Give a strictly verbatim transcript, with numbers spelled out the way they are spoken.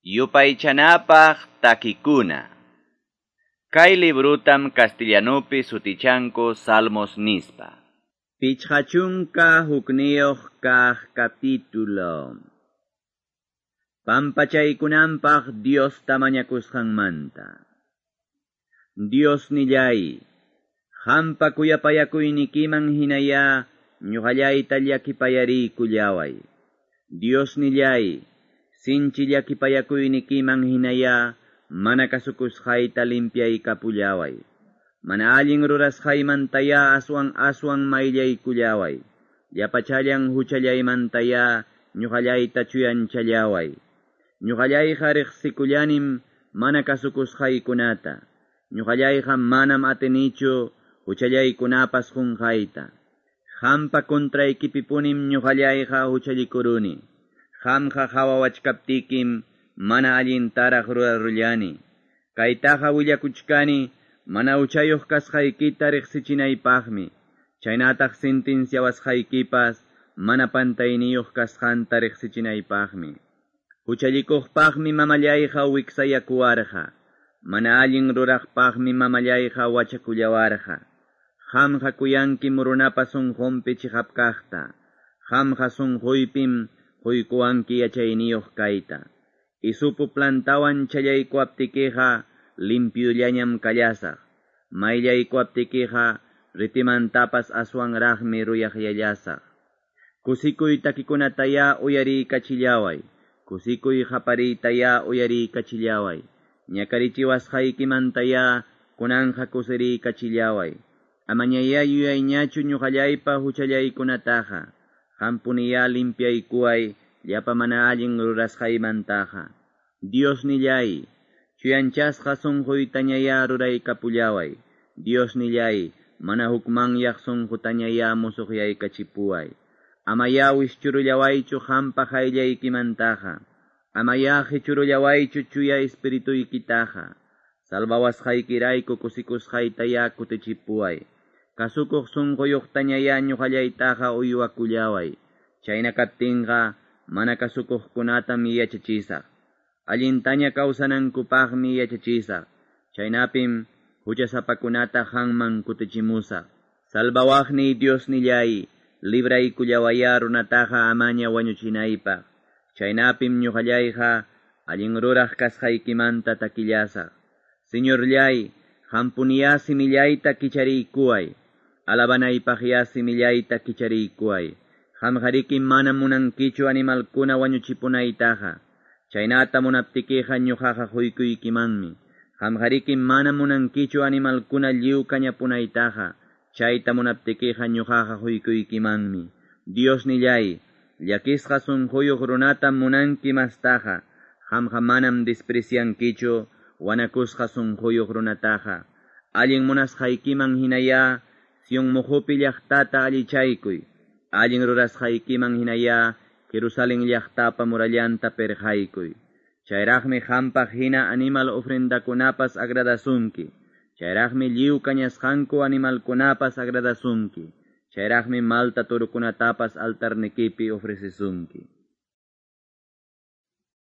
Yupaychanapaq takikuna. Kay librutam castellanupi sutichanku Salmos nispa. Pichqa chunka hukniyuq kaq capítulo. Pampachaykunanpaq Diosta mañakusqanmanta. Dios nillay, qampa kuyapayakuynikiman hinaya ñuqallayta llakipayariykullaway. Dios nillay, sinchi llakipayakuynikiman hinaya mana kasukusqayta limpiaykapullaway. Mana allin rurasqaymantaya aswan aswan mayllaykullaway. Llapachallan huchallaymantaya ñuqallayta chuyanchallaway. Ñuqallayqa riqsikullanim mana kasukusqaykunata. Ñuqallayqa manam atinichu huchallaykunapas qunqayta. Qampa contraykipipunim ñuqallayqa huchallikuruni. Qamqa qhawawachkaptikim mana allintaraq rurarullani. Kaytaqa willakuchkani mana huchayuq kasqaykita riqsichinaypaqmi. Chaynataq sentenciawasqaykipas mana pantayniyuq kasqanta riqsichinaypaqmi. Huchallikuqpaqmi mamallayqa wiksayakuwarqa. Mana allin ruraqpaqmi mamallayqa wachakullawarqa. Qamqa kuyankim runapa sunqunpi chiqap kaqta. Qamqa sunquypim quykuwanki yachayniyuq kayta. Isupu plantawan challaykuwaptikiqa limpyullañam kallasaq. Mayllaykuwaptikiqa ritimantapas aswanraqmi ruyaqyallasaq. Kusikuy takikunataya uyariykachillaway. Kusikuy qapariytaya uyariykachillaway. Ñakarichiwasqaykimantaya kunanja kusiriykachillaway. Amañaya yuyayñachu ñuqallaypa huchallaykunataqa. Qampuniya limpiaykuway llapa mana allin rurasqaymantaqa. Dios nillay, chuyanchasqa sunquytañaya ruraykapullaway. Dios nillay, mana hukmanyaq sunqutañaya musuqyaykachipuway. Amaya wischurullawaychu qampa qayllaykimantaqa. Amaya qichurullawaychu chuya espirituykitaqa. Salvawasqaykirayku kusikusqaytaya kutichipuway. Kasukuq sunquyuqtañaya ñuqallaytaqa uywakullaway. Chayna kaptinqa mana kasukuqkunatam yachachisaq. Allintaña kawsanankupaqmi yachachisaq. Chaynapim huchasapakunata qamman kutichimusaq. Salvawaqniy Dios nillay, libraykullawaya runataqa amaña wañuchinaypaq. Chaynapim ñuqallayqa allin ruraq kasqaykimanta takillasaq. Señorllay, qampuniya simillayta kichariykuway. Alabanaypaqya simillayta kichariykuway. Qamqariki mana munankichu animalkuna wañuchipunaytaqa. Chaynata munaptikiqa ñuqaqa quykuykimanmi. Qamqariki mana munankichu animalkuna lliw kañapunaytaqa. Chayta munaptikiqa ñuqaqa quykuykimanmi. Dios nillay, llakisqa sunquyuq runatam munanki mastaqa. Qamqa manam despreciankichu wanakusqa sunquyuq runataqa. Allin munasqaykiman hinaya Sion muhupi llaqtata allichaykuy. Allin rurasqaykiman hinaya Jerusalén llaqtapa murallanta perqaykuy. Chayraqmi qampaq hina animal ofrendakunapas agradasunki. Chayraqmi lliw kañasqanku animalkunapas agradasunki. Chayraqmi malta turukunatapas altarnikipi ofrecesunki.